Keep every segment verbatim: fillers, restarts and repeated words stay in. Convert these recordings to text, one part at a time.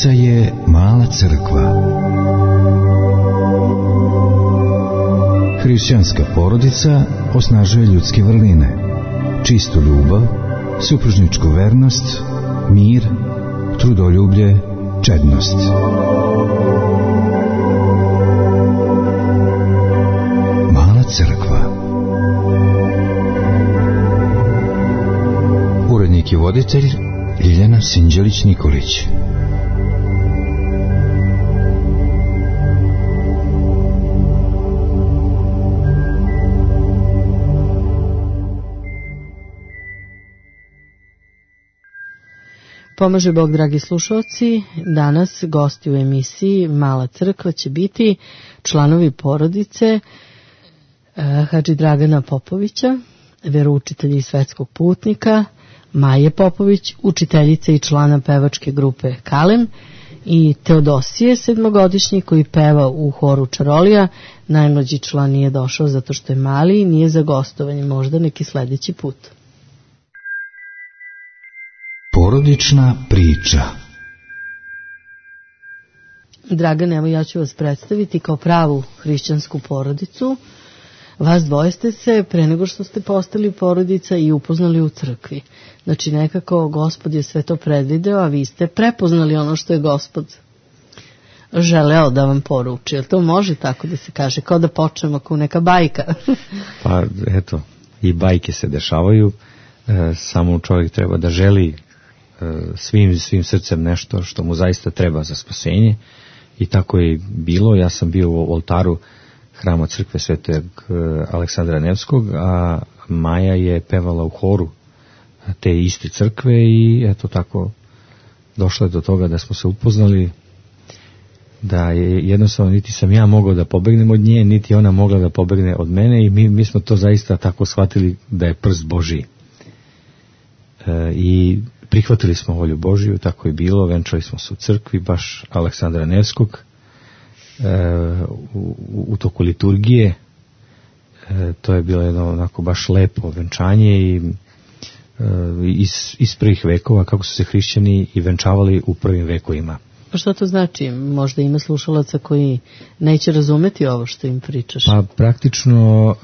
Porodica je mala crkva. Hrišćanska porodica osnažuje ljudske vrline, čistu ljubav, supružničku vernost, mir, trudoljublje, čednost. Mala crkva. Urednik i voditelj Ljiljana Sinđelić-Nikolić. Pomaže Bog, dragi slušalci. Danas gosti u emisiji Mala crkva će biti članovi porodice Hadži Dragana Popovića, veroučitelja i svetskog putnika, Maje Popović, učiteljica i člana pevačke grupe Kalem, i Teodosije, sedmogodišnji, koji peva u horu Čarolija. Najmlađi član nije došao zato što je mali i nije za gostovanje, možda neki sledeći put. Porodična priča. Dragan, evo ja ću vas predstaviti kao pravu hrišćansku porodicu. Vas dvoje ste se pre nego što ste postali porodica i upoznali u crkvi. Znači nekako Gospod je sve to predvideo, a vi ste prepoznali ono što je Gospod želeo da vam poruči. Jel to može tako da se kaže? Kao da počnemo kao neka bajka. Pa eto, i bajke se dešavaju, e, samo čovjek treba da želi e, svim, svim srcem nešto što mu zaista treba za spasenje, i tako je bilo. Ja sam bio u oltaru hrama crkve Svetog Aleksandra Nevskog, a Maja je pevala u horu te iste crkve i eto tako došlo je do toga da smo se upoznali, da je jednostavno niti sam ja mogao da pobegnem od nje, niti ona mogla da pobegne od mene, i mi, mi smo to zaista tako shvatili da je prst Božiji. E, i prihvatili smo volju Božiju, tako je bilo, venčali smo se u crkvi baš Aleksandra Nevskog, U, u toku liturgije. E, to je bilo jedno onako baš lepo venčanje i e, iz, iz prvih vekova, kako su se hrišćani i venčavali u prvim vekovima. Pa što to znači? Možda ima slušalaca koji neće razumeti ovo što im pričaš. Pa praktično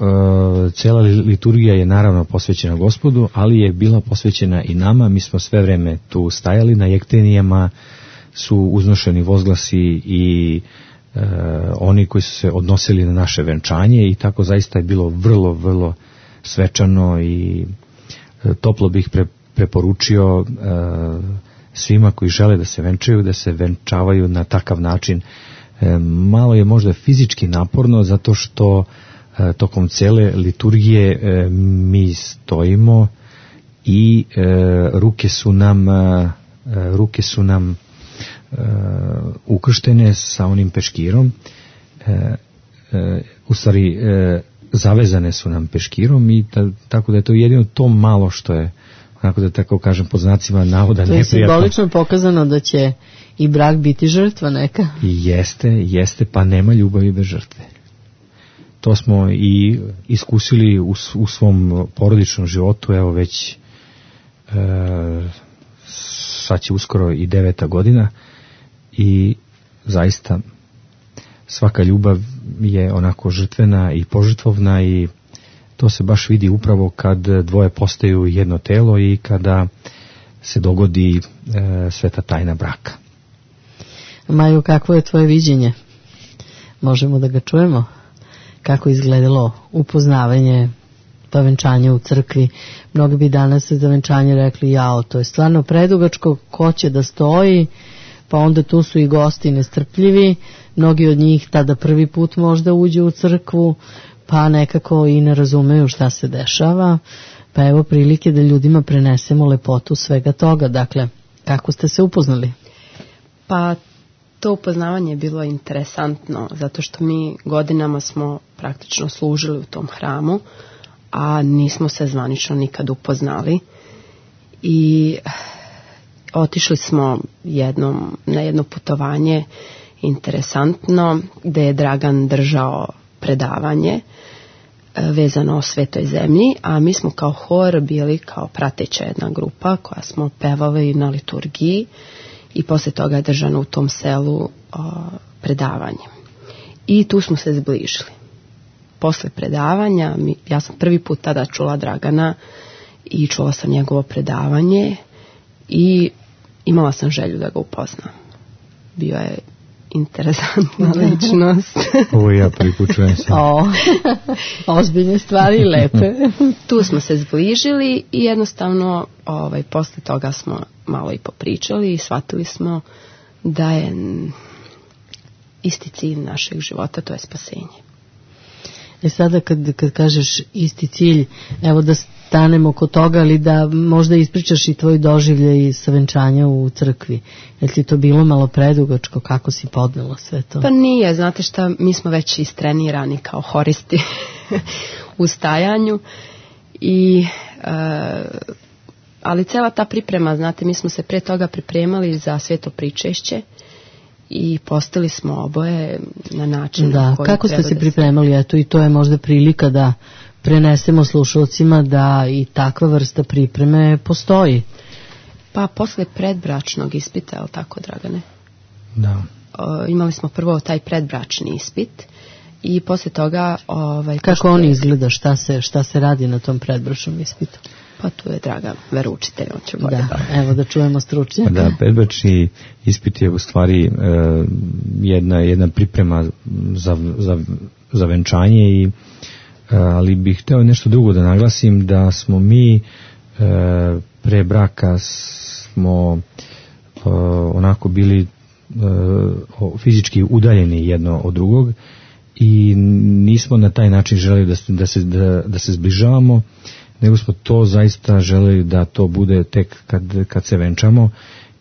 e, cela liturgija je naravno posvećena Gospodu, ali je bila posvećena i nama. Mi smo sve vreme tu stajali, na jektenijama su uznošeni vozglasi i Uh, oni koji su se odnosili na naše venčanje, i tako zaista je bilo vrlo, vrlo svečano i uh, toplo bih pre, preporučio uh, svima koji žele da se venčaju, da se venčavaju na takav način. Uh, malo je možda fizički naporno, zato što uh, tokom cele liturgije uh, mi stojimo i uh, ruke su nam uh, ruke su nam Uh, ukrštene sa onim peškirom, uh, uh, u stvari uh, zavezane su nam peškirom, i ta, tako da je to jedino to malo što je, onako da tako kažem pod znacima navoda neprijatno. To je simbolično pokazano da će i brak biti žrtva neka. Jeste, jeste, pa nema ljubavi bez žrtve. To smo i iskusili u, u svom porodičnom životu, evo već uh, sad će uskoro i deveta godina, i zaista svaka ljubav je onako žrtvena i požrtvovna, i to se baš vidi upravo kad dvoje postaju jedno telo i kada se dogodi e, sveta tajna braka. Maju, kakvo je tvoje viđenje? Možemo da ga čujemo? Kako izgledalo upoznavanje, to venčanje u crkvi? Mnogi bi danas za venčanje rekli, jao, to je stvarno predugačko, ko će da stoji? Pa onda tu su i gosti nestrpljivi, mnogi od njih tada prvi put možda uđe u crkvu, pa nekako i ne razumeju šta se dešava, pa evo prilike da ljudima prenesemo lepotu svega toga. Dakle, kako ste se upoznali? Pa to upoznavanje je bilo interesantno, zato što mi godinama smo praktično služili u tom hramu, a nismo se zvanično nikad upoznali, i otišli smo jednom, na jedno putovanje interesantno, gde je Dragan držao predavanje vezano o Svetoj zemlji, a mi smo kao hor bili kao prateća jedna grupa koja smo pevali na liturgiji, i posle toga je držano u tom selu o, predavanje. I tu smo se zbližili. Posle predavanja, mi, ja sam prvi put tada čula Dragana i čula sam njegovo predavanje i imala sam želju da ga upoznam. Bio je interesantna ličnost. Ovo ja prvi put čujem sam. O, ozbiljne stvari i lepe. Tu smo se zbližili i jednostavno ovaj, posle toga smo malo i popričali i shvatili smo da je isti cilj našeg života, to je spasenje. E sada kad, kad kažeš isti cilj, evo da stanemo kod toga, ali da možda ispričaš i tvoj doživljaj sa venčanja u crkvi. Je li ti to bilo malo predugačko? Kako si podnela sve to? Pa nije, znate šta, mi smo već istrenirani kao horisti u stajanju i e, ali cela ta priprema, znate, mi smo se pre toga pripremali za sveto pričešće i postali smo oboje na način da, na koji kako ste se da pripremali, eto i to je možda prilika da prenesemo slušalcima da i takva vrsta pripreme postoji. Pa posle predbračnog ispita, je li tako, Dragane? Da. O, imali smo prvo taj predbračni ispit i posle toga ovaj, kako pošto... on izgleda, šta se, šta se radi na tom predbračnom ispitu? Pa tu je Dragan veroučitelj, on će bolje. Da, evo da čujemo stručnjaka. Da, predbračni ispit je u stvari e, jedna, jedna priprema za, za, za venčanje, i, e, ali bih hteo nešto drugo da naglasim, da smo mi e, pre braka smo e, onako bili e, fizički udaljeni jedno od drugog i nismo na taj način želeli da, da, se, da, da se zbližavamo, nego smo to zaista želeli da to bude tek kad, kad se venčamo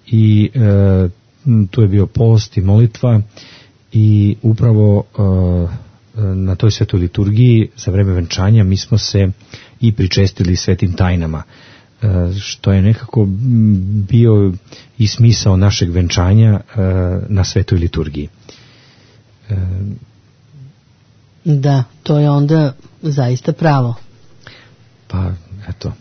i e, tu je bio post i molitva i upravo e, na toj svetoj liturgiji za vreme venčanja mi smo se i pričestili svetim tajnama, e, što je nekako bio i smisao našeg venčanja e, na svetoj liturgiji. E, da, to je onda zaista pravo. Pa, eto.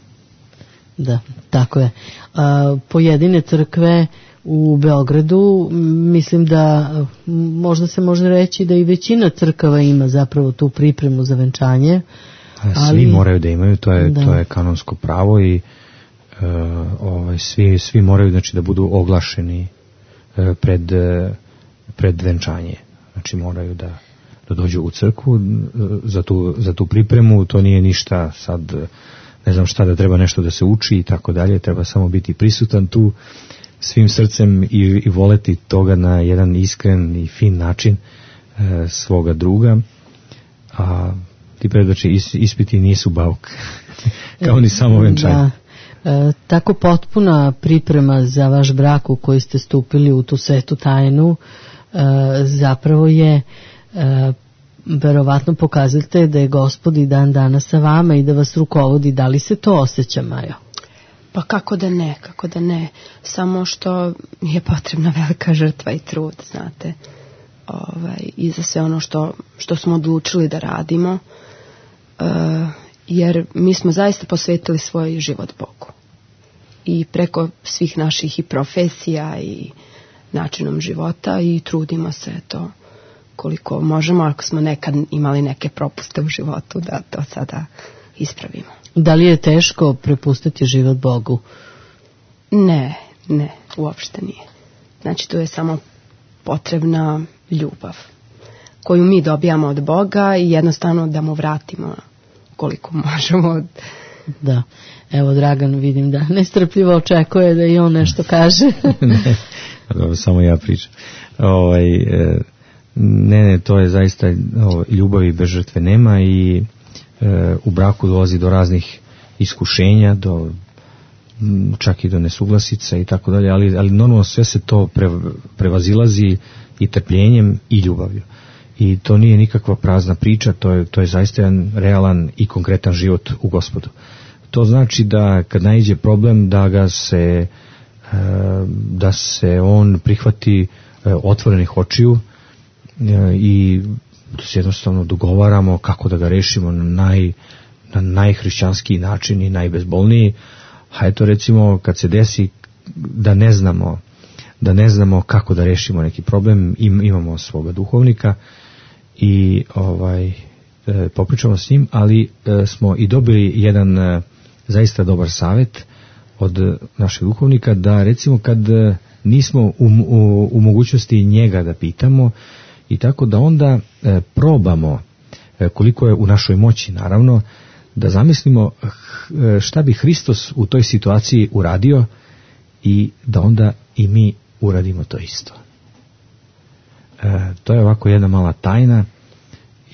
Da, tako je. A, pojedine crkve u Beogradu, mislim da možda se može reći da i većina crkava ima zapravo tu pripremu za venčanje. Svi ali, moraju da imaju, to je, da. to je kanonsko pravo i uh, ovaj, svi, svi moraju, znači, da budu oglašeni uh, pred, uh, pred venčanje. Znači moraju da da dođu u crkvu za tu, za tu pripremu, to nije ništa sad, ne znam šta, da treba nešto da se uči i tako dalje, treba samo biti prisutan tu svim srcem i, i voleti toga na jedan iskren i fin način e, svoga druga, a ti predbračni is, ispiti nisu bauk, kao ni samo venčanje. Da. E, tako potpuna priprema za vaš brak u koji ste stupili u tu svetu tajnu e, zapravo je E, verovatno pokazujete da je Gospod i dan danas sa vama i da vas rukovodi. Da li se to osjeća, Majo? Pa kako da ne, kako da ne. Samo što je potrebna velika žrtva i trud, znate. Ovaj, i za sve ono što, što smo odlučili da radimo. E, jer mi smo zaista posvetili svoj život Bogu. I preko svih naših i profesija i načinom života i trudimo se to koliko možemo, ako smo nekad imali neke propuste u životu, da to sada ispravimo. Da li je teško prepustiti život Bogu? Ne, ne, uopšte nije. Znači, tu je samo potrebna ljubav koju mi dobijamo od Boga i jednostavno da mu vratimo koliko možemo. Da, evo Dragan vidim da nestrpljivo očekuje da i on nešto kaže. Ne, dobro, samo ja pričam. Ovaj, e, Ne, ne, to je zaista, o, ljubavi bez žrtve nema i e, u braku dolazi do raznih iskušenja, do čak i do nesuglasica i tako dalje, ali, ali normalno sve se to pre, prevazilazi i trpljenjem i ljubavlju. I to nije nikakva prazna priča, to je, to je zaista jedan realan i konkretan život u Gospodu. To znači da kad naiđe problem da ga se, e, da se on prihvati e, otvorenih očiju i da se jednostavno dogovaramo kako da ga rešimo na, naj, na najhrišćanskiji način i najbezbolniji. A eto recimo kad se desi da ne znamo da ne znamo kako da rešimo neki problem. Im, imamo svoga duhovnika i ovaj e, popričamo s njim, ali e, smo i dobili jedan e, zaista dobar savjet od našeg duhovnika, da recimo kad e, nismo u, u, u mogućnosti njega da pitamo, i tako da onda e, probamo e, koliko je u našoj moći, naravno, da zamislimo e, šta bi Hristos u toj situaciji uradio i da onda i mi uradimo to isto. E, to je ovako jedna mala tajna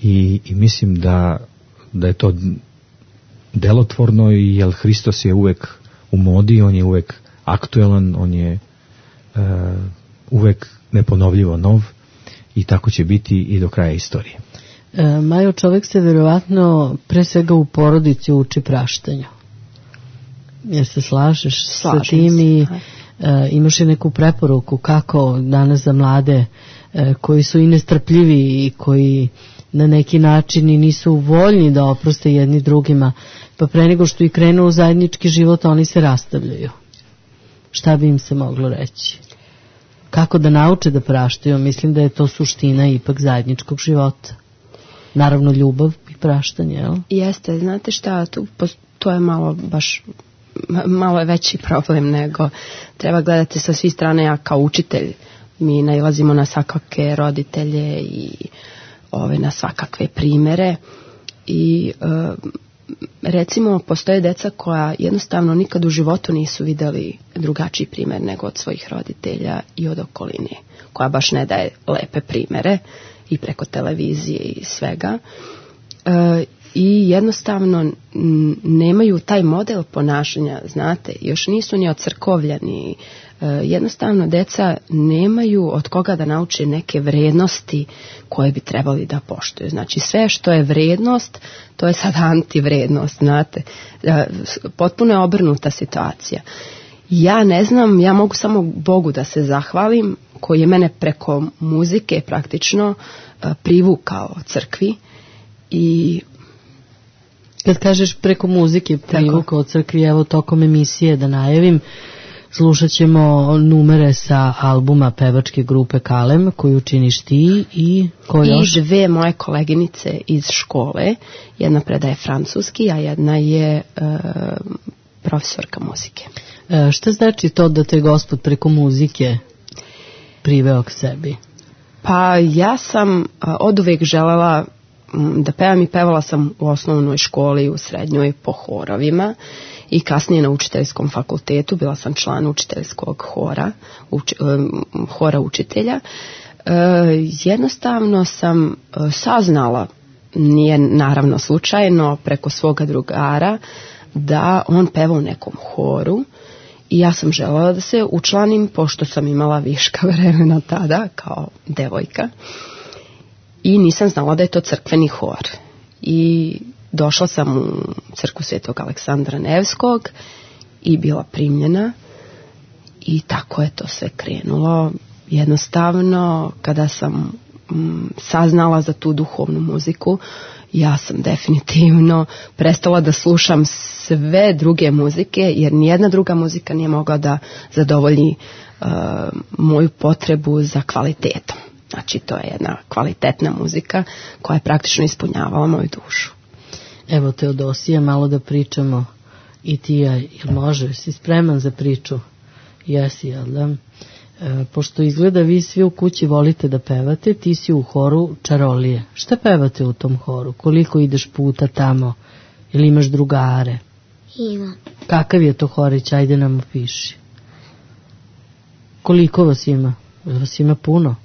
i, i mislim da, da je to delotvorno, jer Hristos je uvek u modi, on je uvek aktuelan, on je e, uvek neponovljivo nov i tako će biti i do kraja istorije. E, Majo, čovjek se vjerovatno pre svega u porodici uči praštanju. Jer se slažeš Slažem sa tim se, i e, imaš i neku preporuku kako danas za mlade e, koji su i nestrpljivi i koji na neki način i nisu voljni da oproste jedni drugima, pa pre nego što i krenu u zajednički život oni se rastavljaju. Šta bi im se moglo reći? Kako da nauče da praštaju? Mislim da je to suština ipak zajedničkog života. Naravno ljubav i praštanje, jel? Jeste, znate šta, tu, to je malo baš, malo je veći problem nego treba gledati sa svih strane. Ja kao učitelj, mi nailazimo na svakakve roditelje i ove, na svakakve primere i e, recimo postoje deca koja jednostavno nikad u životu nisu vidjeli drugačiji primjer nego od svojih roditelja i od okoline, koja baš ne daje lepe primere i preko televizije i svega. E, i jednostavno nemaju taj model ponašanja, znate, još nisu ni ocrkovljeni. E, jednostavno deca nemaju od koga da nauče neke vrednosti koje bi trebali da poštuju. Znači sve što je vrednost, to je sad antivrednost, znate. E, potpuno je obrnuta situacija. Ja ne znam, ja mogu samo Bogu da se zahvalim, koji je mene preko muzike praktično e, privukao crkvi. I kad kažeš preko muzike privukao crkvi, evo tokom emisije da najavim, slušat ćemo numere sa albuma pevačke grupe Kalem koju činiš ti i ko još? I dve moje koleginice iz škole, jedna predaje francuski, a jedna je e, profesorka muzike. E, šta znači to da te Gospod preko muzike priveo k sebi? Pa ja sam od uvijek želela da pevam i pevala sam u osnovnoj školi, u srednjoj po horovima i kasnije na učiteljskom fakultetu. Bila sam član učiteljskog hora, uč, hora učitelja. E, jednostavno sam saznala, nije naravno slučajno, preko svoga drugara, da on peva u nekom horu. I ja sam želela da se učlanim, pošto sam imala viška vremena tada, kao devojka. I nisam znala da je to crkveni hor. I došla sam u crkvu Svetog Aleksandra Nevskog i bila primljena. I tako je to sve krenulo. Jednostavno, kada sam mm, saznala za tu duhovnu muziku, ja sam definitivno prestala da slušam sve druge muzike, jer nijedna druga muzika nije mogla da zadovolji uh, moju potrebu za kvalitetom. Znači, to je jedna kvalitetna muzika koja je praktično ispunjavala moju dušu. Evo, Teodosija, malo da pričamo i ti, jel može, si spreman za priču? Jesi, jel da? E, pošto izgleda vi svi u kući volite da pevate, ti si u horu Čarolije. Šta pevate u tom horu? Koliko ideš puta tamo? Ili imaš drugare? Imam. Kakav je to horić? Ajde nam opiši. Koliko vas ima? Vas ima puno?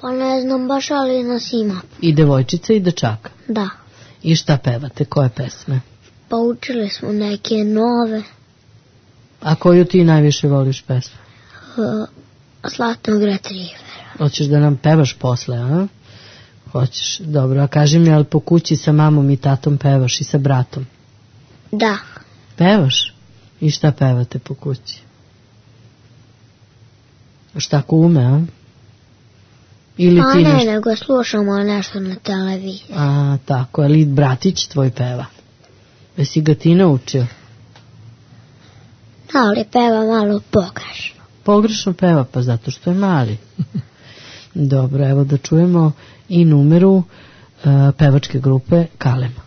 Pa ne znam baš, ali nas ima. I devojčica i dečaka? Da. I šta pevate? Koje pesme? Pa učili smo neke nove. A koju ti najviše voliš pesmu? Uh, Zlatnog retrivera. Hoćeš da nam pevaš posle, a? Hoćeš, dobro. A kaži mi, ali po kući sa mamom i tatom pevaš i sa bratom? Da. Pevaš? I šta pevate po kući? Šta ko ume, a? Ili pa ti ne, nešto... nego slušamo nešto na televiziji. A, tako, ali bratić tvoj peva? Jesi ga ti naučio? Da, ali peva malo pogrešno. Pogrešno peva, pa zato što je mali. Dobro, evo da čujemo i numeru uh, pevačke grupe Kalema.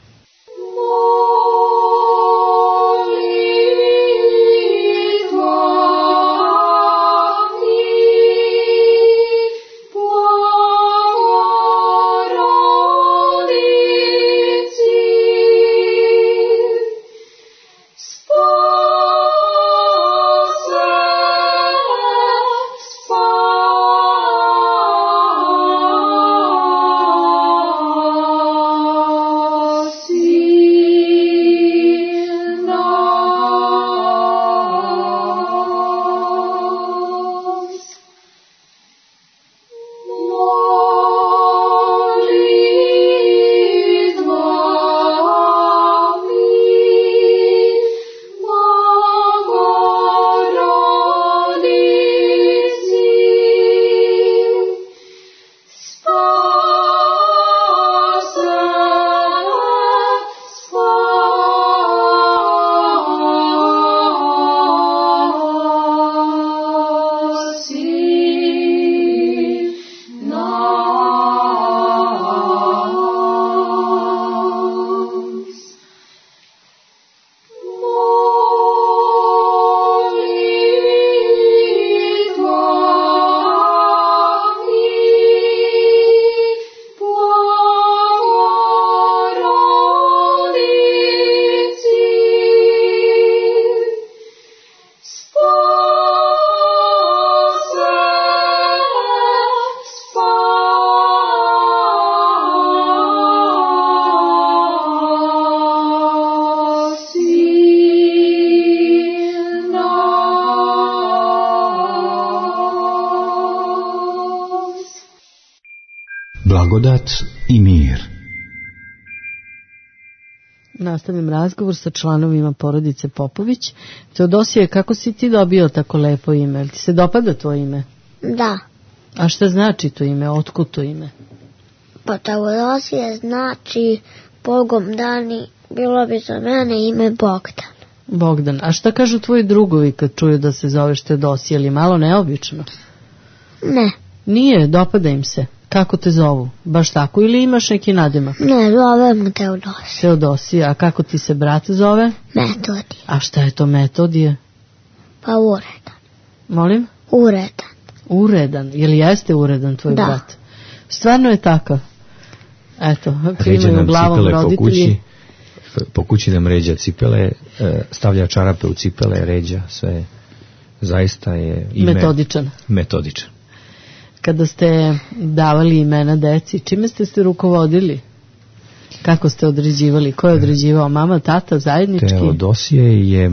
Blagodat i mir. Nastavim razgovor sa članovima porodice Popović. Teodosije, kako si ti dobio tako lepo ime? Jel ti se dopada tvoje ime? Da. A šta znači to ime? Otkud to ime? Pa Teodosije znači Bogom dani, bilo bi za mene ime Bogdan. Bogdan. A šta kažu tvoji drugovi kad čuju da se zoveš Teodosije? Ili malo neobično? Ne. Nije, dopada im se. Kako te zovu? Baš tako ili imaš neki nadimak? Ne, zovemo Teodosije. Teodosije. A kako ti se brat zove? Metodije. A šta je to Metodije? Pa uredan. Molim? Uredan. Uredan. Je li jeste uredan tvoj da. brat? Stvarno je takav. Eto, Ređa nam glavom cipele roditelji. po kući, po kući nam ređa cipele, stavlja čarape u cipele, ređa, sve zaista je ime metodičan. Metodičan. Kada ste davali imena deci, čime ste se rukovodili? Kako ste određivali? Ko je određivao? Mama, tata, zajednički? Teodosije je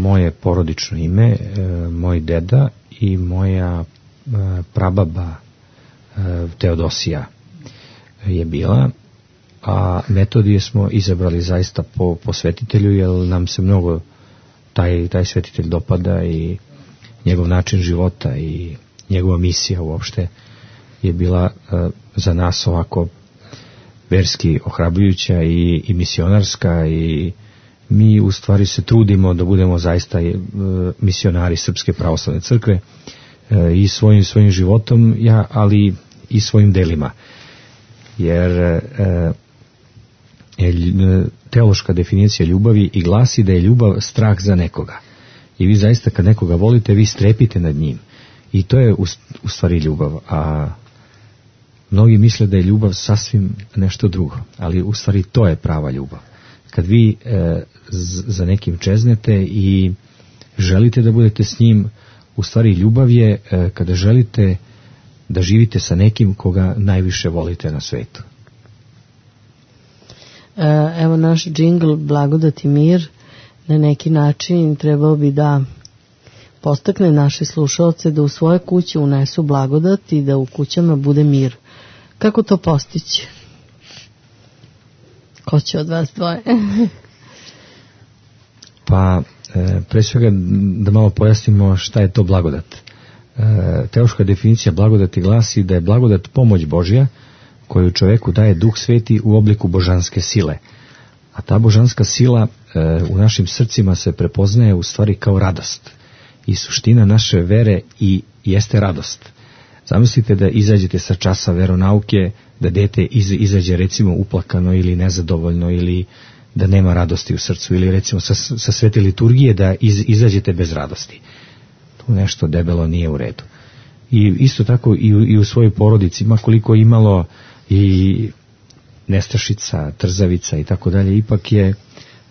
moje porodično ime, moj deda i moja prababa Teodosija je bila, a Metodije smo izabrali zaista po posvetitelju, jer nam se mnogo taj, taj svetitelj dopada i njegov način života i njegova misija uopšte je bila uh, za nas ovako verski ohrabrujuća i, i misionarska, i mi u stvari se trudimo da budemo zaista uh, misionari Srpske pravoslavne crkve uh, i svojim svojim životom, ja, ali i svojim delima, jer uh, teološka definicija ljubavi i glasi da je ljubav strah za nekoga, i vi zaista kad nekoga volite, vi strepite nad njim. I to je u, u stvari ljubav, a mnogi misle da je ljubav sasvim nešto drugo, ali u stvari to je prava ljubav. Kad vi e, z, za nekim čeznete i želite da budete s njim, u stvari ljubav je e, kada želite da živite sa nekim koga najviše volite na svetu. E, evo naš džingl Blagodat i mir na neki način trebao bi da postakne naše slušalce da u svoje kuće unesu blagodat i da u kućama bude mir. Kako to postići? Ko će od vas dvoje? Pa, e, pre svega da malo pojasnimo šta je to blagodat. E, teološka definicija blagodati glasi da je blagodat pomoć Božja koju čoveku daje Duh Sveti u obliku božanske sile. A ta božanska sila e, u našim srcima se prepoznaje u stvari kao radost. i suština naše vere i jeste radost. Zamislite da izađete sa časa veronauke, da dete iz, izađe recimo uplakano ili nezadovoljno ili da nema radosti u srcu, ili recimo sa, sa svete liturgije da iz, izađete bez radosti. Tu nešto debelo nije u redu. I isto tako i u, i u svojoj porodici, ma koliko imalo i nestašica, trzavica i tako dalje, ipak je,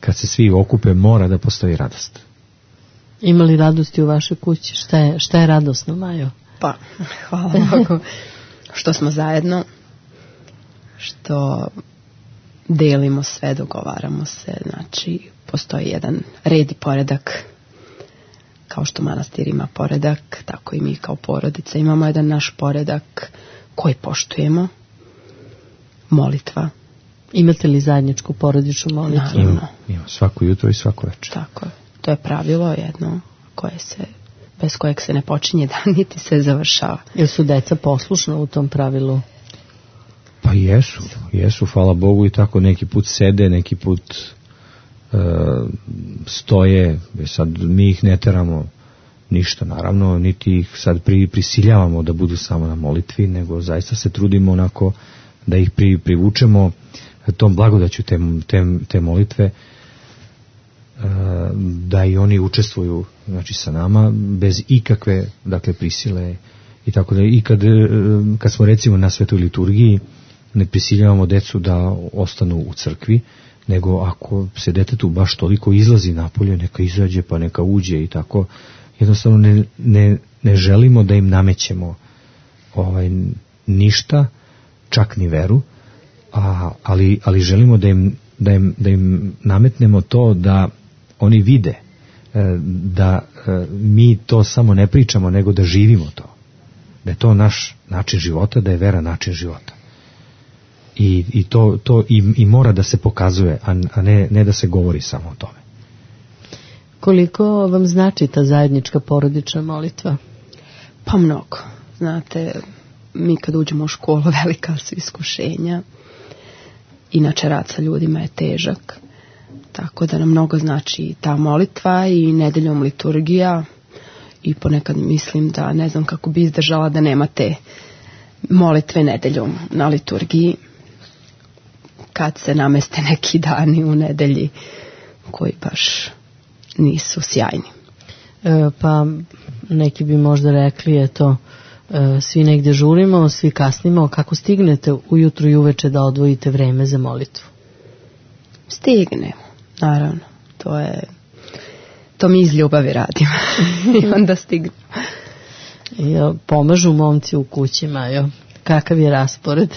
kad se svi okupe, mora da postoji radost. Ima li radosti u vašoj kući? Šta je, šta je radosno, Majo? Pa, hvala Bogu što smo zajedno, što delimo sve, dogovaramo se, znači postoji jedan red i poredak, kao što manastir ima poredak, tako i mi kao porodica imamo jedan naš poredak koji poštujemo. Molitva. Imate li zajedničku porodičnu molitvu? Naravno. Ima svako jutro i svako večer. Tako je. To je pravilo jedno koje se, bez kojeg se ne počinje dan, niti se završava. Jel su deca poslušna u tom pravilu? Pa jesu, jesu, hvala Bogu, i tako neki put sede, neki put e, stoje, sad mi ih ne teramo ništa, naravno, niti ih sad pri, prisiljavamo da budu samo na molitvi, nego zaista se trudimo onako da ih pri, privučemo tom blagodaću te, te, te molitve, e, da i oni učestvuju, znači, sa nama bez ikakve, dakle, prisile i tako da. I kad, kad smo recimo na svetoj liturgiji, ne prisiljavamo decu da ostanu u crkvi, nego ako se detetu baš toliko izlazi napolje, neka izađe pa neka uđe i tako. Jednostavno ne, ne, ne želimo da im namećemo ovaj, ništa, čak ni veru, a, ali, ali želimo da im, da, im, da im nametnemo to da oni vide, da mi to samo ne pričamo, nego da živimo to. Da je to naš način života, da je vera način života. I, i to, to i, i mora da se pokazuje, a, a ne, ne da se govori samo o tome. Koliko vam znači ta zajednička porodična molitva? Pa mnogo. Znate, mi kad uđemo u školu, velika su iskušenja. Inače, rad sa ljudima je težak. Tako da nam mnogo znači ta molitva i nedeljom liturgija. I ponekad mislim da ne znam kako bi izdržala da nema te molitve nedeljom na liturgiji, kad se nameste neki dani u nedelji koji baš nisu sjajni. E, pa neki bi možda rekli, eto, e, svi negdje žurimo, svi kasnimo, kako stignete ujutru i uveče da odvojite vreme za molitvu? Stignemo, naravno. To je, to mi iz ljubavi radimo. I onda stignemo. Jo, pomažu momci u kućima, jo. Kakav je raspored?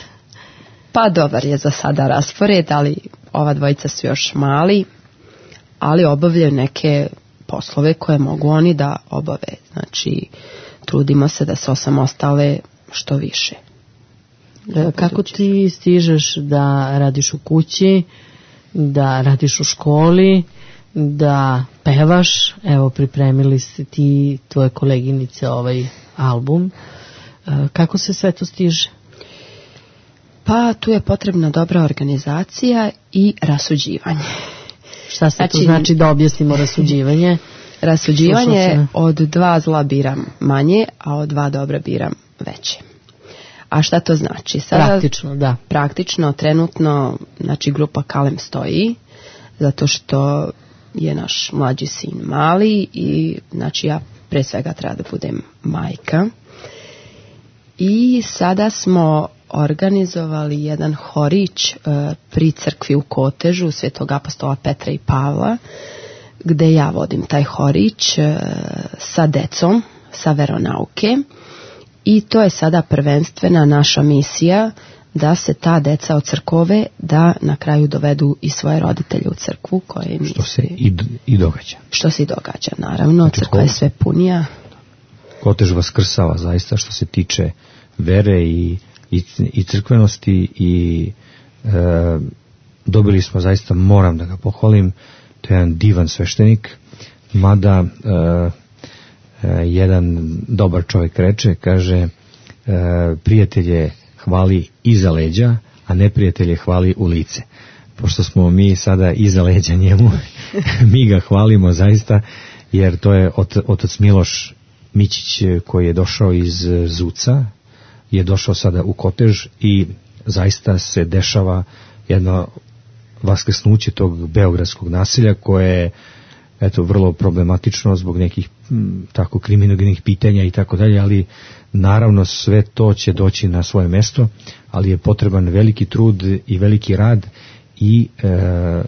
Pa dobar je za sada raspored, ali ova dvojica su još mali, ali obavljaju neke poslove koje mogu oni da obave. Znači, trudimo se da se osamostale što više. E, kako ti stižeš da radiš u kući, da radiš u školi, da pevaš? Evo, pripremili ste ti, tvoje koleginice, ovaj album. E, kako se sve to stiže? Pa tu je potrebna dobra organizacija i rasuđivanje. Šta se znači, to znači, da objasnimo rasuđivanje? Rasuđivanje, od dva zla biram manje, a od dva dobra biram veće. A šta to znači? Sada, praktično, da. Praktično, trenutno, znači grupa Kalem stoji, zato što je naš mlađi sin mali i znači ja pre svega treba da budem majka. I sada smo organizovali jedan horić uh, pri crkvi u Kotežu Svetog apostola Petra i Pavla, gde ja vodim taj horić uh, sa decom, sa veronauke, i to je sada prvenstvena naša misija da se ta deca od crkove da na kraju dovedu i svoje roditelje u crkvu. Koje što se i, i događa. Što se i događa, naravno. Znači, crkva je sve punija. Kotež vaskrsava zaista što se tiče vere i I, i crkvenosti i e, dobili smo zaista, moram da ga pohvalim, to je jedan divan sveštenik, mada e, e, jedan dobar čovjek reče, kaže, e, prijatelje hvali iza leđa, a neprijatelje hvali u lice. Pošto smo mi sada iza leđa njemu, mi ga hvalimo zaista jer to je ot, otac Miloš Mićić koji je došao iz Zuca, je došao sada u Kotež i zaista se dešava jedno vaskrsnuće tog beogradskog naselja koje je eto vrlo problematično zbog nekih m, tako kriminogenih pitanja i tako dalje, ali naravno sve to će doći na svoje mesto, ali je potreban veliki trud i veliki rad i e,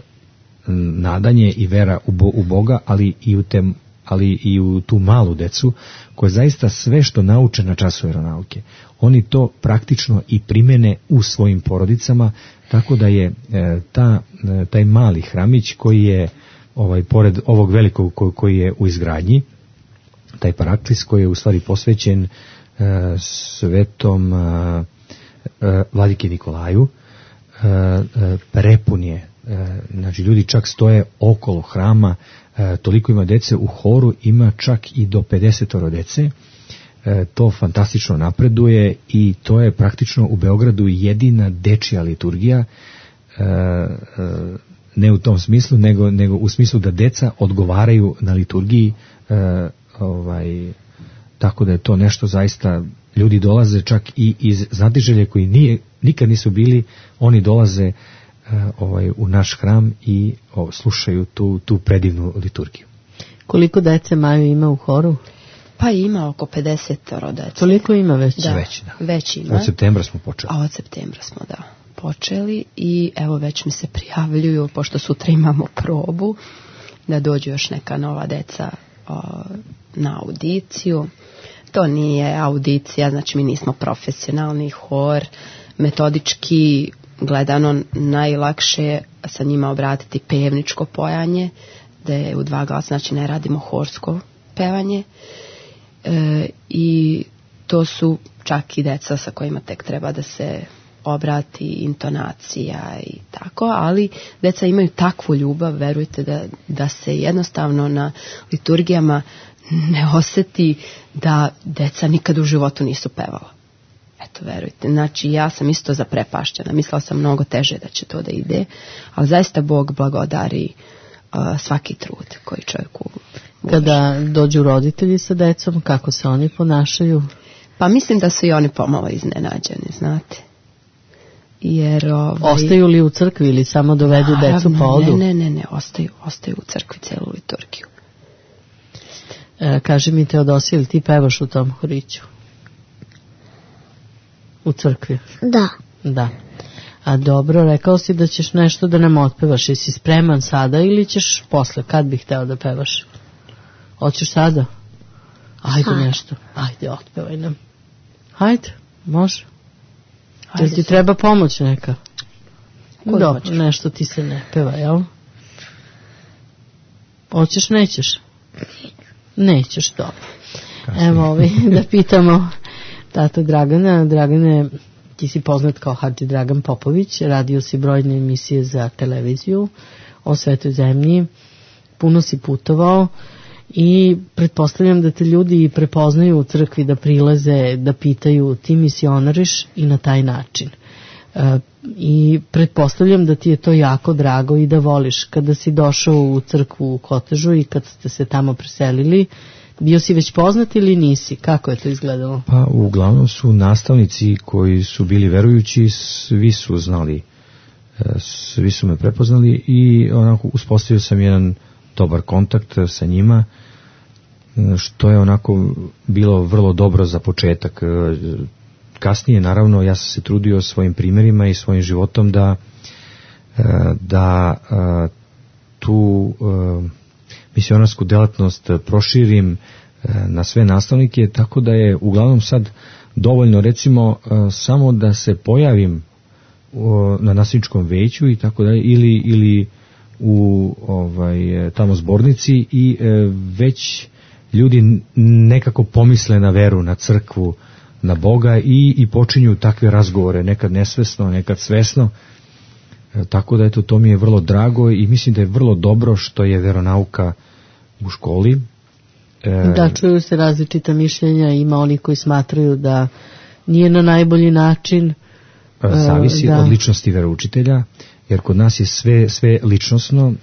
nadanje i vera u, bo, u Boga, ali i u te, ali i u tu malu decu koja zaista sve što nauče na času veronauke, oni to praktično i primene u svojim porodicama, tako da je e, ta, e, taj mali hramić koji je ovaj pored ovog velikog ko, koji je u izgradnji, taj paraklis koji je u stvari posvećen e, svetom e, e, Vladike Nikolaju, e, e, prepun je, e, znači ljudi čak stoje okolo hrama, e, toliko ima dece, u horu ima čak i do pedesetoro dece, e, to fantastično napreduje i to je praktično u Beogradu jedina dečija liturgija, e, e, ne u tom smislu, nego, nego u smislu da deca odgovaraju na liturgiji, e, ovaj, tako da je to nešto zaista, ljudi dolaze čak i iz Znatiželje koji nije, nikad nisu bili, oni dolaze e, ovaj, u naš hram i o, slušaju tu, tu predivnu liturgiju. Koliko dece Maju ima u horu? Pa ima oko pedesetoro dece. Toliko ima već? Da, već, da. Već ima. Od septembra smo počeli. A od septembra smo, da, počeli i evo već mi se prijavljuju, pošto sutra imamo probu, da dođu još neka nova deca o, na audiciju. To nije audicija, znači mi nismo profesionalni hor, metodički gledano najlakše sa njima obratiti pevničko pojanje, da je u dva glasa, znači ne radimo horsko pevanje, e, i to su čak i deca sa kojima tek treba da se obrati intonacija i tako, ali deca imaju takvu ljubav, verujte da, da se jednostavno na liturgijama ne oseti da deca nikad u životu nisu pevala. Eto, verujte. Znači, ja sam isto zaprepašćena. Mislila sam mnogo teže da će to da ide, ali zaista Bog blagodari uh, svaki trud koji čovjeku uloži. Kada dođu roditelji sa decom, kako se oni ponašaju? Pa mislim da su i oni pomalo iznenađeni, znate. Jer, ovaj, ostaju li u crkvi ili samo dovedu naravno, decu pa odu? Ne, ne, ne, ne, ostaju, ostaju u crkvi celu liturgiju. E, kaži mi, Teodosija, ili ti pevaš u tom horiću? U crkvi? Da. Da. A dobro, rekao si da ćeš nešto da nam otpevaš. Jesi spreman sada ili ćeš posle? Kad bih hteo da pevaš? Hoćeš sada? Ajde Ajde. nešto. Ajde, otpevaj nam. Ajde, može. Jel ti treba pomoć neka? Dobro, nešto ti se ne peva, jel? Hoćeš, nećeš? Nećeš, dobro. Evo ovi, da pitamo tatu Dragana. Dragane, ti si poznat kao Hadži Dragan Popović, radio si brojne emisije za televiziju o Svetoj zemlji, puno si putovao i pretpostavljam da te ljudi prepoznaju u crkvi, da prilaze, da pitaju ti misionariš i na taj način. E, i pretpostavljam da ti je to jako drago i da voliš. Kada si došao u crkvu u Kotežu i kad ste se tamo preselili, bio si već poznat ili nisi? Kako je to izgledalo? Pa uglavnom su nastavnici koji su bili verujući, svi su znali, svi su me prepoznali i onako uspostavio sam jedan dobar kontakt sa njima, što je onako bilo vrlo dobro za početak. Kasnije, naravno, ja sam se trudio svojim primjerima i svojim životom da da tu misionarsku delatnost proširim na sve nastavnike, tako da je uglavnom sad dovoljno recimo samo da se pojavim na nastavničkom veću i tako dalje, ili ili u ovaj tamo zbornici i već ljudi nekako pomisle na veru, na crkvu, na Boga i, i počinju takve razgovore, nekad nesvesno, nekad svesno. E, tako da eto, to mi je vrlo drago i mislim da je vrlo dobro što je veronauka u školi. E, da, čuju se različita mišljenja, ima oni koji smatraju da nije na najbolji način. Zavisi da. od ličnosti veroučitelja. jer kod nas je sve, sve ličnosno, e,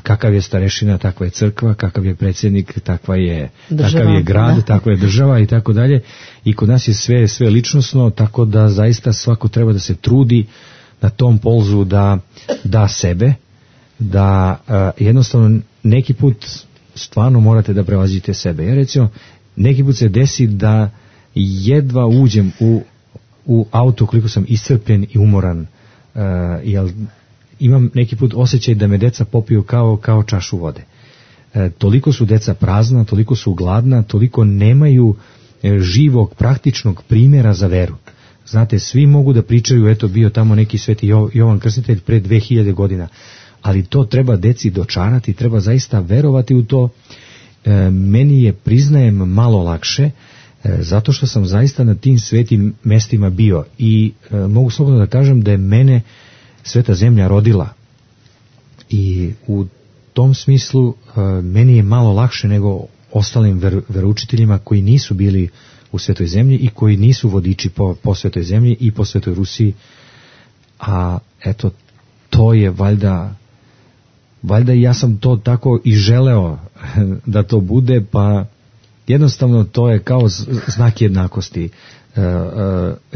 kakav je starešina, takva je crkva, kakav je predsjednik, takva je, država, takav je grad, da. takva je država i tako dalje. I kod nas je sve, sve ličnosno, tako da zaista svako treba da se trudi na tom polzu da da sebe, da e, jednostavno neki put stvarno morate da prevazite sebe. Ja recimo, neki put se desi da jedva uđem u, u auto koliko sam iscrpljen i umoran, uh, jer imam neki put osjećaj da me deca popiju kao, kao čašu vode. Uh, toliko su deca prazna, toliko su gladna, toliko nemaju uh, živog, praktičnog primjera za veru. Znate, svi mogu da pričaju, eto bio tamo neki sveti Jovan Krstitelj pre dve hiljade godina, ali to treba deci dočarati, treba zaista verovati u to. E, meni je, priznajem, malo lakše, e, zato što sam zaista na tim svetim mestima bio i e, mogu slobodno da kažem da je mene sveta zemlja rodila. I u tom smislu e, meni je malo lakše nego ostalim ver, veroučiteljima koji nisu bili u svetoj zemlji i koji nisu vodiči po, po svetoj zemlji i po svetoj Rusiji. A eto, to je valjda Valjda ja sam to tako i želeo da to bude, pa jednostavno to je kao znak jednakosti. E, e,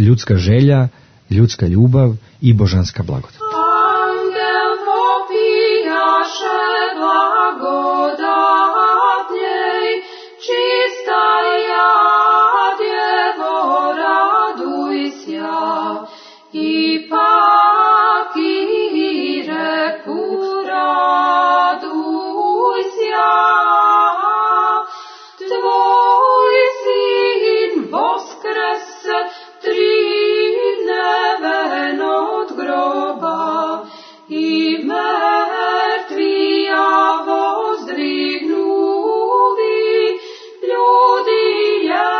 ljudska želja, ljudska ljubav i božanska blagodat. Angel popijaše blagodatnjej, čista ja, djevo, raduj sja, i paki reku raduj sja, tvoj sin voskrese tri dneven od groba i mrtvija vozdrignuli, ljudi je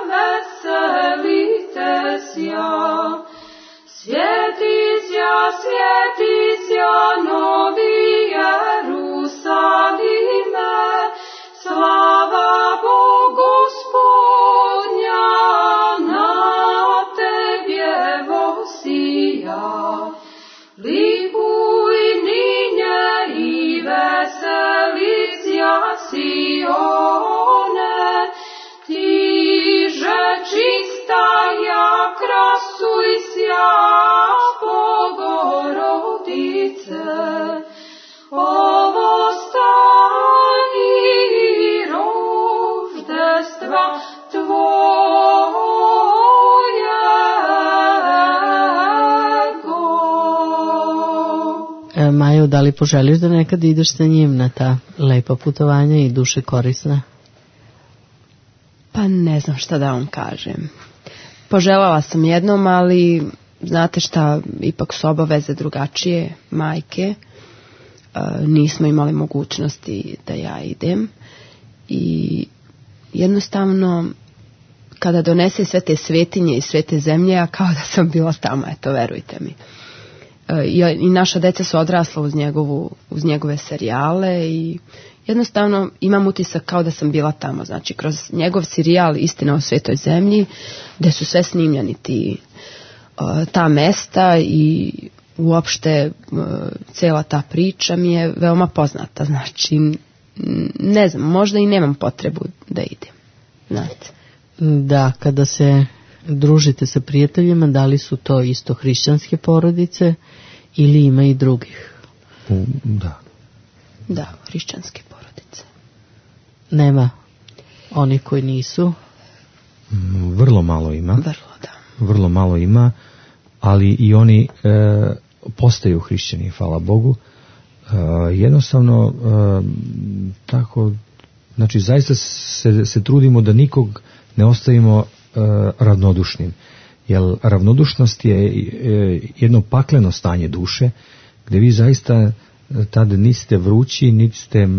veselite sja. Svjeti sja, svjeti sja, novi Jerusalime, slava Bogu Gospodnja, na tebje vosija. Likuj ninje i veseli sja Sione, tiže čista ja, krasuj sja, Bogorodice. Ovo stani roždestva tvojego. E, Majo, da li poželiš da nekad ideš sa njim na ta lepa putovanja i duše korisna? Pa ne znam šta da vam kažem. Poželjela sam jednom, ali znate šta, ipak su obaveze drugačije, majke. E, nismo imali mogućnosti da ja idem i jednostavno kada donese sve te svetinje i sve te zemlje, ja kao da sam bila tamo, eto, verujte mi. E, i, i naša deca su odrasla uz, njegovu, uz njegove serijale i jednostavno imam utisak kao da sam bila tamo, znači kroz njegov serijal Istina o svetoj zemlji, gde su sve snimljeni ti, uh, ta mesta i uopšte uh, cela ta priča mi je veoma poznata, znači ne znam, možda i nemam potrebu da idem, znate. Da, kada se družite sa prijateljima, da li su to isto hrišćanske porodice ili ima i drugih? U, da. Da, hrišćanske porodice. Nema oni koji nisu? Vrlo malo ima. Vrlo, da. Vrlo malo ima, ali i oni e, postaju hrišćani, hvala Bogu. E, jednostavno, e, tako, znači zaista se, se trudimo da nikog ne ostavimo e, ravnodušnim. Jer ravnodušnost je e, jedno pakleno stanje duše, gdje vi zaista tad niste vrući, niti ste uh,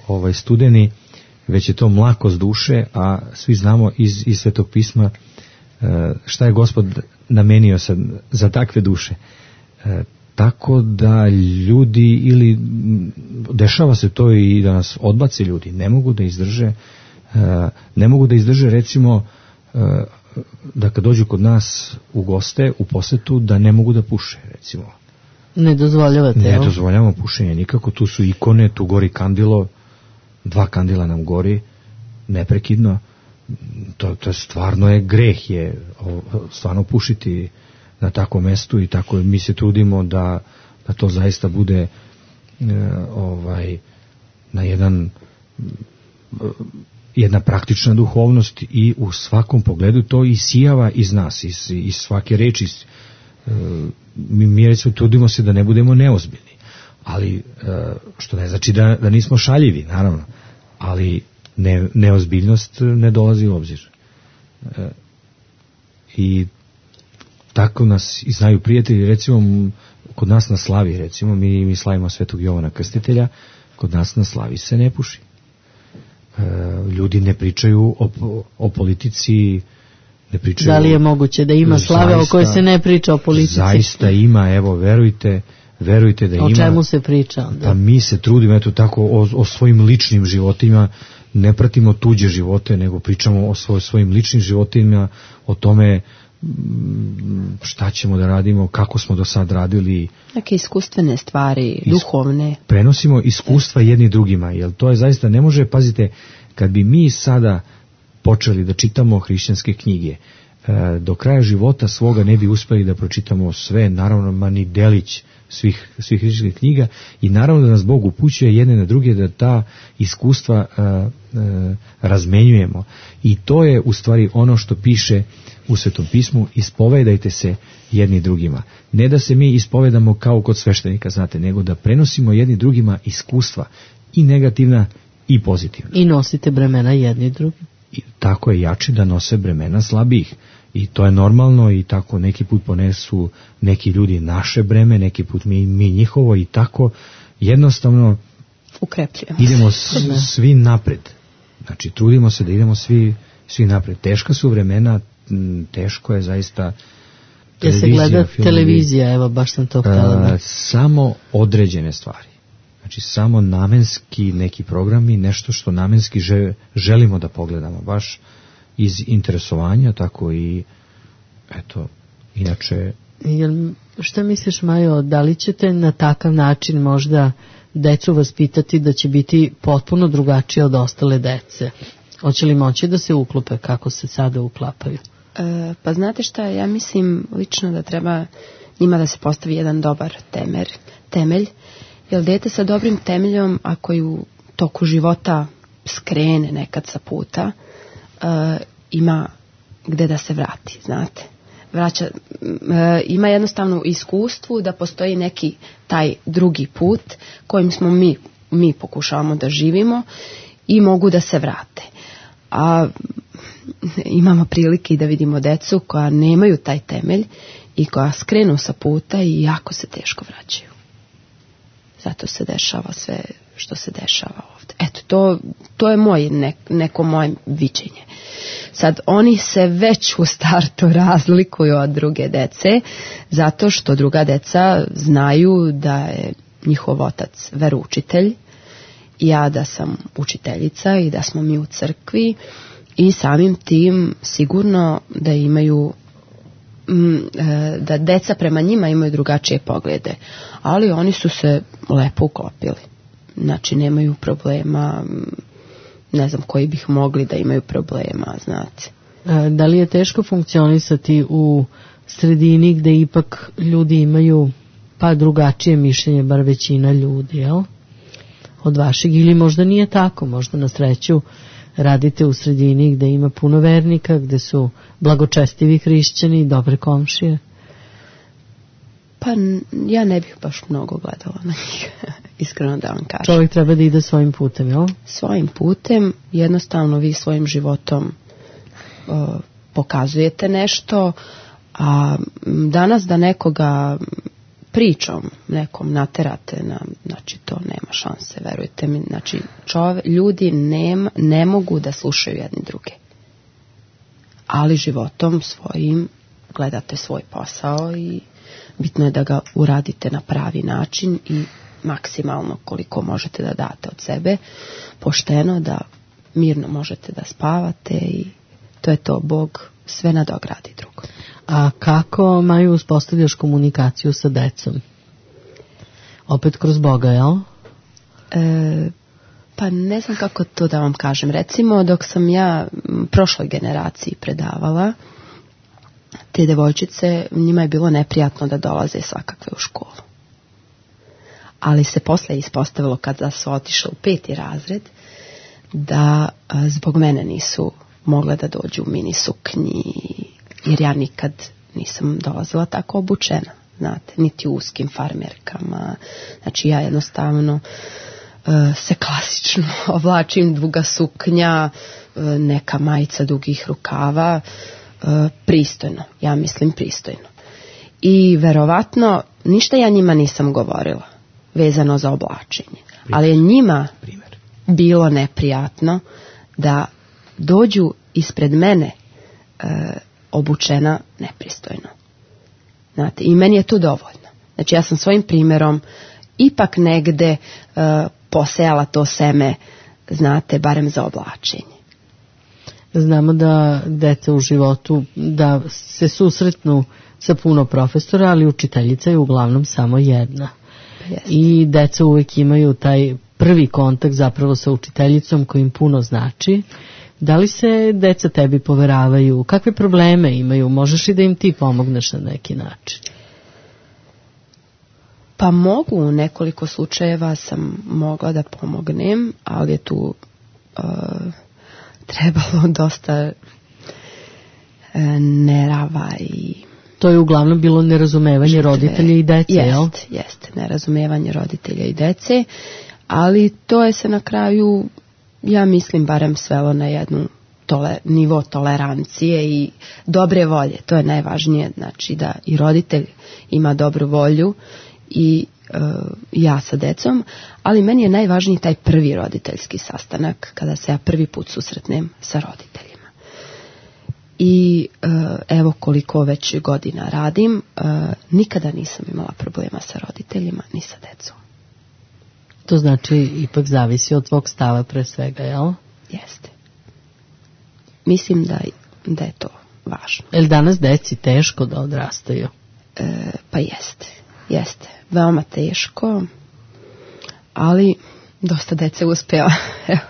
ovaj, studeni, već je to mlakost duše, a svi znamo iz, iz Svetog pisma uh, šta je Gospod namenio sad, za takve duše. Uh, tako da ljudi, ili dešava se to i da nas odbace ljudi, ne mogu da izdrže, uh, ne mogu da izdrže recimo uh, da kad dođu kod nas u goste, u posetu, da ne mogu da puše, recimo. Ne dozvoljavate, Ne evo? dozvoljavamo pušenje nikako, tu su ikone, tu gori kandilo, dva kandila nam gori, neprekidno, to, to je stvarno je greh je o, stvarno pušiti na takvom mestu i tako mi se trudimo da, da to zaista bude e, ovaj na jedan jedna praktična duhovnost i u svakom pogledu to isijava iz nas, iz, iz svake reči. Iz, e, mi, mi recimo trudimo se da ne budemo neozbiljni, ali e, što ne znači da, da nismo šaljivi, naravno, ali ne, neozbiljnost ne dolazi u obzir. E, I tako nas i znaju prijatelji, recimo kod nas na slavi, recimo mi, mi slavimo Svetog Jovana Krstitelja, kod nas na slavi se ne puši. E, ljudi ne pričaju o, o politici, ne pričaju. Da li je moguće da ima slave zaista, o kojoj se ne priča o politici? Zaista ima, evo, verujte, verujte da o ima. O čemu se priča onda? Pa mi se trudimo, eto tako, o, o svojim ličnim životima, ne pratimo tuđe živote, nego pričamo o svoj, svojim ličnim životima, o tome šta ćemo da radimo, kako smo do sad radili. Neke iskustvene stvari, duhovne. Prenosimo iskustva jedni drugima, jer to je zaista, ne može, pazite, kad bi mi sada počeli da čitamo hrišćanske knjige, do kraja života svoga ne bi uspeli da pročitamo sve, naravno, ma ni delić svih, svih hrišćanskih knjiga, i naravno da nas Bog upućuje jedne na druge da ta iskustva a, a, razmenjujemo. I to je u stvari ono što piše u Svetom pismu, ispovedajte se jedni drugima. Ne da se mi ispovedamo kao kod sveštenika, znate, nego da prenosimo jedni drugima iskustva, i negativna i pozitivna. I nosite bremena jedni drugi. I tako je jači da nose bremena slabijih. I to je normalno, i tako neki put ponesu neki ljudi naše breme, neki put mi, mi njihovo, i tako jednostavno ukrepljujemo idemo s, svi napred. Znači, trudimo se da idemo svi, svi napred. Teška su vremena, teško je zaista. Ja se gleda televizija, evo baš sam to htjela. Samo određene stvari. Znači, samo namenski neki programi, nešto što namenski že, želimo da pogledamo, baš iz interesovanja, tako i eto, inače. Jel, šta misliš, Majo, da li ćete na takav način možda decu vaspitati da će biti potpuno drugačije od ostale dece? Hoće li moći da se uklope kako se sada uklapaju? E, pa znate šta, ja mislim lično da treba njima da se postavi jedan dobar temer, temelj, jer dete sa dobrim temeljom, ako ju u toku života skrene nekad sa puta, e, ima gde da se vrati, znate. Vraća, e, ima jednostavno iskustvu da postoji neki taj drugi put kojim smo mi, mi pokušavamo da živimo i mogu da se vrate. A imamo prilike i da vidimo decu koja nemaju taj temelj i koja skrenu sa puta i jako se teško vraćaju. Zato se dešava sve što se dešava ovdje. Eto, to, to je moj, ne, neko moje viđenje. Sad, oni se već u startu razlikuju od druge dece, zato što druga deca znaju da je njihov otac veroučitelj, ja da sam učiteljica i da smo mi u crkvi, i samim tim sigurno da imaju, da deca prema njima imaju drugačije poglede, ali oni su se lepo uklopili. Znači, nemaju problema, ne znam koji bih mogli da imaju problema, znate. Da li je teško funkcionisati u sredini gde ipak ljudi imaju pa drugačije mišljenje, bar većina ljudi, jel? Od vašeg, ili možda nije tako, možda na sreću radite u sredini gde ima puno vernika, gde su blagočestivi hrišćani i dobre komšije? Pa ja ne bih baš mnogo gledala na njih, iskreno da vam kažem. Čovjek treba da ide svojim putem, jel? Svojim putem, jednostavno vi svojim životom uh, pokazujete nešto, a danas da nekoga pričom nekom naterate, na, znači to nema šanse, verujte mi. Znači, čove, ljudi nema, ne mogu da slušaju jedni druge. Ali životom svojim gledate svoj posao i bitno je da ga uradite na pravi način i maksimalno koliko možete da date od sebe, pošteno, da mirno možete da spavate, i to je to, Bog sve nadogradi drugo. A kako, Maju, uspostavljaš komunikaciju sa decom? Opet kroz Boga, jel? E, pa ne znam kako to da vam kažem. Recimo, dok sam ja prošloj generaciji predavala, te devojčice, njima je bilo neprijatno da dolaze svakakve u školu. Ali se posle ispostavilo, kada su otišle u peti razred, da a, zbog mene nisu mogle da dođu u mini suknji, jer ja nikad nisam dolazila tako obučena, znate, niti u uskim farmerkama. Znači ja jednostavno uh, se klasično oblačim, duga suknja, uh, neka majica dugih rukava, uh, pristojno, ja mislim pristojno. I verovatno ništa ja njima nisam govorila vezano za oblačenje, primjer. Ali je njima primjer. Bilo neprijatno da dođu ispred mene uh, obučena nepristojno. Znate, i meni je to dovoljno. Znači ja sam svojim primjerom ipak negde uh, posejala to seme, znate, barem za oblačenje. Znamo da deca u životu, da se susretnu sa puno profesora, ali učiteljica je uglavnom samo jedna. Jeste. I deca uvijek imaju taj prvi kontakt zapravo sa učiteljicom koji im puno znači. Da li se deca tebi poveravaju? Kakve probleme imaju? Možeš i da im ti pomogneš na neki način? Pa mogu, u nekoliko slučajeva sam mogla da pomognem, ali je tu uh, trebalo dosta uh, nerava i... To je uglavnom bilo nerazumevanje žrtve. Roditelja i dece, jest, jel? Jeste, nerazumevanje roditelja i dece, ali to je se na kraju... Ja mislim barem svelo na jednu tole, nivo tolerancije i dobre volje. To je najvažnije, znači da i roditelj ima dobru volju i e, ja sa decom, ali meni je najvažniji taj prvi roditeljski sastanak kada se ja prvi put susretnem sa roditeljima. I e, evo koliko već godina radim, e, nikada nisam imala problema sa roditeljima ni sa decom. To znači ipak zavisi od tvog stava pre svega, jel? Jeste. Mislim da, da je to važno. Je li danas deci teško da odrastaju? E, pa jeste. Jeste. Veoma teško, ali dosta dece uspjeva.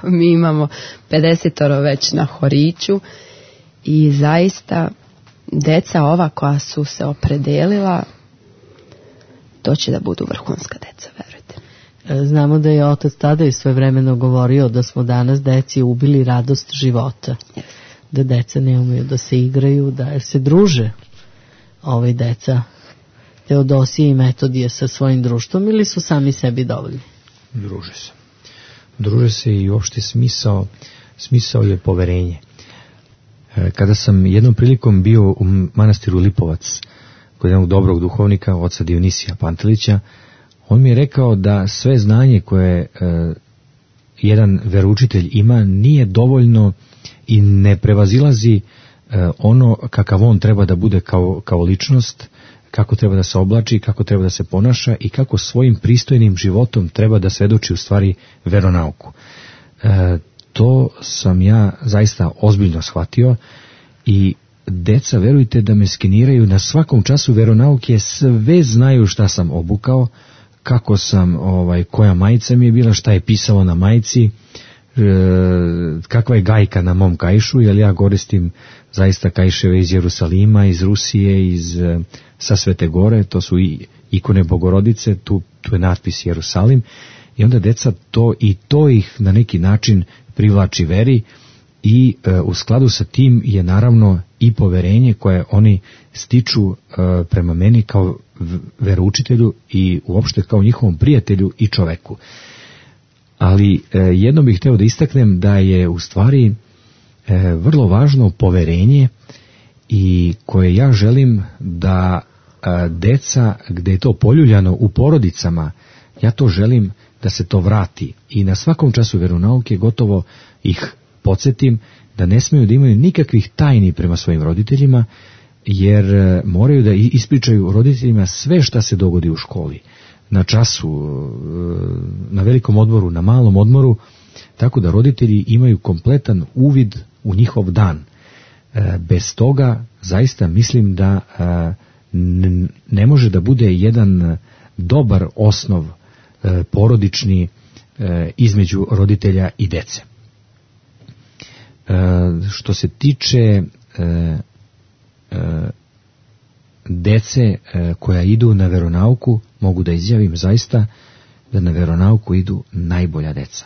Mi imamo pedesetoro već na horiću i zaista deca ova koja su se opredelila, to će da budu vrhunska deca, verujte. Znamo da je otac tada i svojevremeno govorio da smo danas deci ubili radost života. Yes. Da deca ne umeju da se igraju, da se druže ovaj deca Teodosije i Metodije sa svojim društvom ili su sami sebi dovoljni? Druže se. Druže se i uopšte smisao, smisao je poverenje. Kada sam jednom prilikom bio u manastiru Lipovac kod jednog dobrog duhovnika, oca Dionisija Pantelića, on mi je rekao da sve znanje koje e, jedan veroučitelj ima nije dovoljno i ne prevazilazi e, ono kakav on treba da bude kao, kao ličnost, kako treba da se oblači, kako treba da se ponaša i kako svojim pristojnim životom treba da svedoči u stvari veronauku. E, to sam ja zaista ozbiljno shvatio i deca, verujte da me skeniraju na svakom času veronauke, sve znaju šta sam obukao, kako sam, ovaj, koja majica mi je bila, šta je pisalo na majici, e, kakva je gajka na mom kaišu, jer ja koristim zaista kaiševe iz Jerusalima, iz Rusije, iz e, sa Svete Gore, to su i ikone Bogorodice, tu, tu je natpis Jerusalim, i onda deca to i to ih na neki način privlači veri i e, u skladu sa tim je naravno i poverenje koje oni stiču e, prema meni kao veroučitelju i uopšte kao njihovom prijatelju i čoveku. Ali e, jedno bih hteo da istaknem da je u stvari e, vrlo važno poverenje i koje ja želim da e, deca, gde je to poljuljano u porodicama, ja to želim da se to vrati i na svakom času veronauke gotovo ih podsjetim da ne smeju da imaju nikakvih tajni prema svojim roditeljima, jer moraju da ispričaju roditeljima sve šta se dogodi u školi, na času, na velikom odmoru, na malom odmoru, tako da roditelji imaju kompletan uvid u njihov dan. Bez toga zaista mislim da ne može da bude jedan dobar osnov e, porodični e, između roditelja i dece. E, što se tiče e, e, dece e, koja idu na veronauku, mogu da izjavim zaista da na veronauku idu najbolja deca.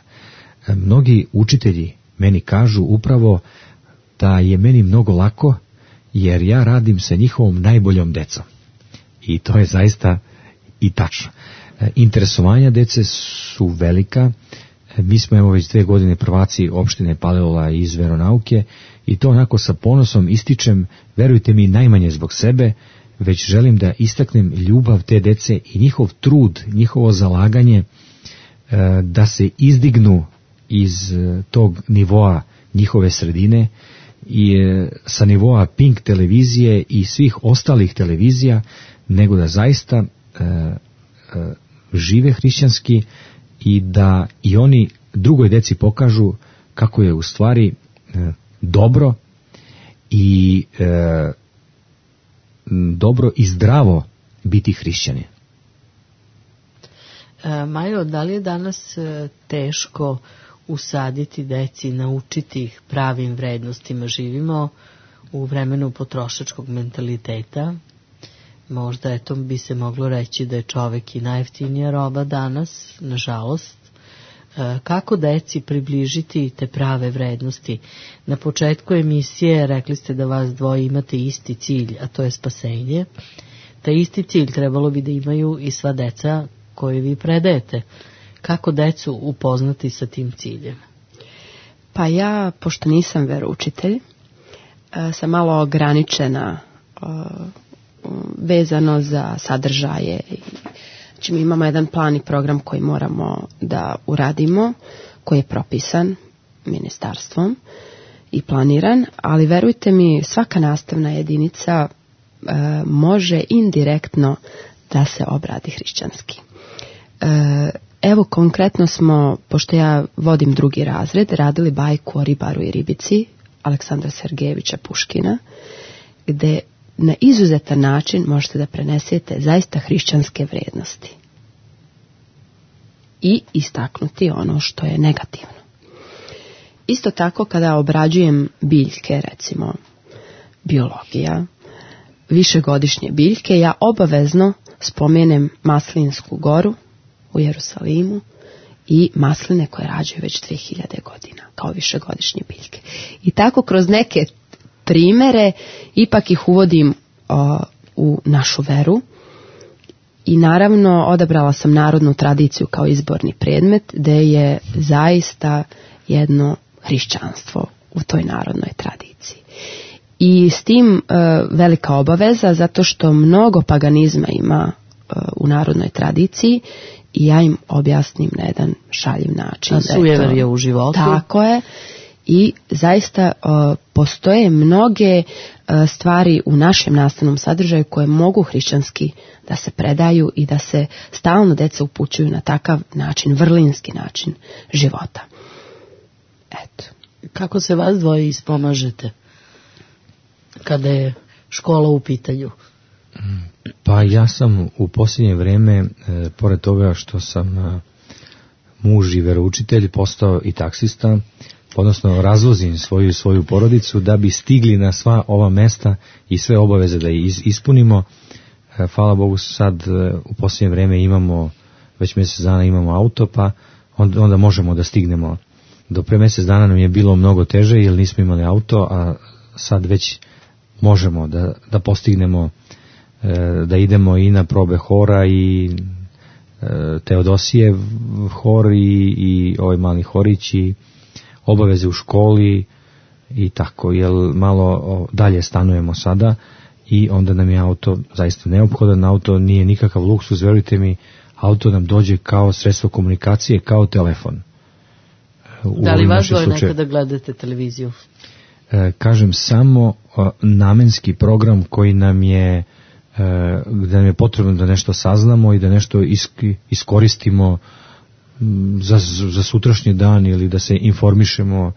E, mnogi učitelji meni kažu upravo da je meni mnogo lako jer ja radim sa njihovom najboljom decom. I to je zaista i tačno. E, interesovanja dece su velika. E, mi smo evo već dve godine prvaci opštine Palilula iz veronauke i to onako sa ponosom ističem, verujte mi, najmanje zbog sebe, već želim da istaknem ljubav te dece i njihov trud, njihovo zalaganje e, da se izdignu iz e, tog nivoa njihove sredine i e, sa nivoa Pink televizije i svih ostalih televizija, nego da zaista e, e, žive hrišćanski i da i oni drugoj deci pokažu kako je u stvari e, dobro i e, dobro i zdravo biti hrišćanin. E, Majo, da li je danas e, teško usaditi deci, naučiti ih pravim vrednostima? Živimo u vremenu potrošačkog mentaliteta. Možda eto bi se moglo reći da je čovek i najjeftinija roba danas, nažalost. E, kako deci približiti te prave vrednosti? Na početku emisije rekli ste da vas dvoje imate isti cilj, a to je spasenje. Taj isti cilj trebalo bi da imaju i sva deca koje vi predajete. Kako decu upoznati sa tim ciljem? Pa ja, pošto nisam veroučitelj, sam malo ograničena vezano za sadržaje. Znači, mi imamo jedan plan i program koji moramo da uradimo, koji je propisan ministarstvom i planiran, ali verujte mi, svaka nastavna jedinica e, može indirektno da se obradi hrišćanski. E, evo konkretno smo, pošto ja vodim drugi razred, radili bajku o ribaru i ribici Aleksandra Sergejevića Puškina, gde na izuzetan način možete da prenesete zaista hrišćanske vrednosti i istaknuti ono što je negativno. Isto tako kada obrađujem biljke, recimo biologija, višegodišnje biljke, ja obavezno spomenem Maslinsku goru u Jerusalimu i masline koje rađaju već dve hiljade godina kao višegodišnje biljke. I tako kroz neke primere ipak ih uvodim o, u našu veru i naravno odabrala sam narodnu tradiciju kao izborni predmet, gde je zaista jedno hrišćanstvo u toj narodnoj tradiciji. I s tim e, velika obaveza, zato što mnogo paganizma ima e, u narodnoj tradiciji i ja im objasnim na jedan šaljiv način. A sujever je u životu. Tako je. I zaista uh, postoje mnoge uh, stvari u našem nastavnom sadržaju koje mogu hrišćanski da se predaju i da se stalno deca upućuju na takav način, vrlinski način života. Eto. Kako se vas dvoje ispomažete kada je škola u pitanju? Pa ja sam u posljednje vreme, e, pored toga što sam e, muž i veroučitelj, postao i taksista, odnosno razvozim svoju svoju porodicu da bi stigli na sva ova mesta i sve obaveze da iz, ispunimo. E, hvala Bogu, sad e, u posljednje vreme imamo, već mjesec dana imamo auto, pa onda, onda možemo da stignemo. Do pre mjesec dana nam je bilo mnogo teže jer nismo imali auto, a sad već možemo da, da postignemo, e, da idemo i na probe hora i e, Teodosijev hor i, i ovaj mali horić i obaveze u školi i tako, jer malo dalje stanujemo sada i onda nam je auto zaista neophodan. Auto nije nikakav luksuz, verujte mi, auto nam dođe kao sredstvo komunikacije, kao telefon. U da li vas dvoje slučaju, nekada gledate televiziju? E, kažem, samo o, namenski program koji nam je, e, da nam je potrebno da nešto saznamo i da nešto iski, iskoristimo za, za sutrašnji dan ili da se informišemo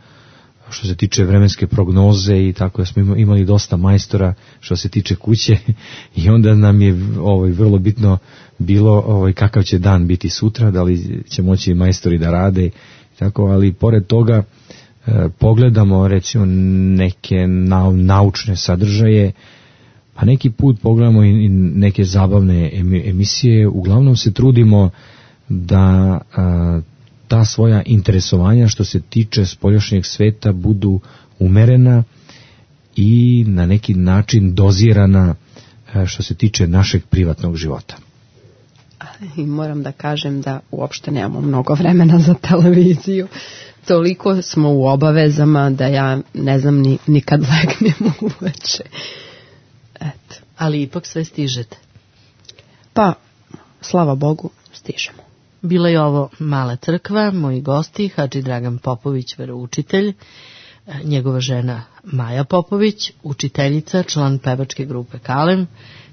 što se tiče vremenske prognoze i tako, da smo imali dosta majstora što se tiče kuće i onda nam je ovaj, vrlo bitno bilo ovaj, kakav će dan biti sutra, da li će moći majstori da rade, tako, ali pored toga e, pogledamo recimo neke nau, naučne sadržaje, pa neki put pogledamo i, i neke zabavne emisije, uglavnom se trudimo da a, ta svoja interesovanja što se tiče spoljašnjeg sveta budu umerena i na neki način dozirana a, što se tiče našeg privatnog života. I moram da kažem da uopšte nemamo mnogo vremena za televiziju. Toliko smo u obavezama da ja ne znam ni, ni kad legnem uveče. Eto. Ali ipak sve stižete. Pa, slava Bogu, stižemo. Bila je ovo Mala crkva, moji gosti, Hadži Dragan Popović, veroučitelj, njegova žena Maja Popović, učiteljica, član pevačke grupe Kalem,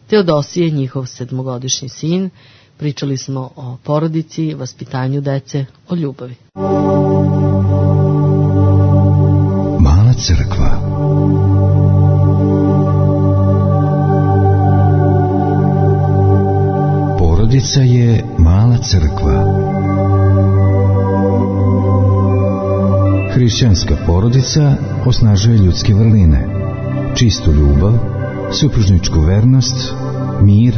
Teodosije, njihov sedmogodišnji sin. Pričali smo o porodici, vaspitanju dece, o ljubavi. Mala crkva. Porodica je mala crkva. Hrišćanska porodica osnažuje ljudske vrline, čistu ljubav, supružničku vernost, mir,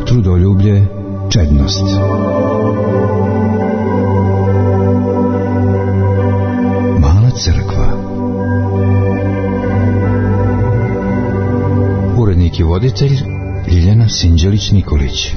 trudoljublje, čednost. Mala crkva. Urednik i voditelj Ljiljana Sinđelić-Nikolić.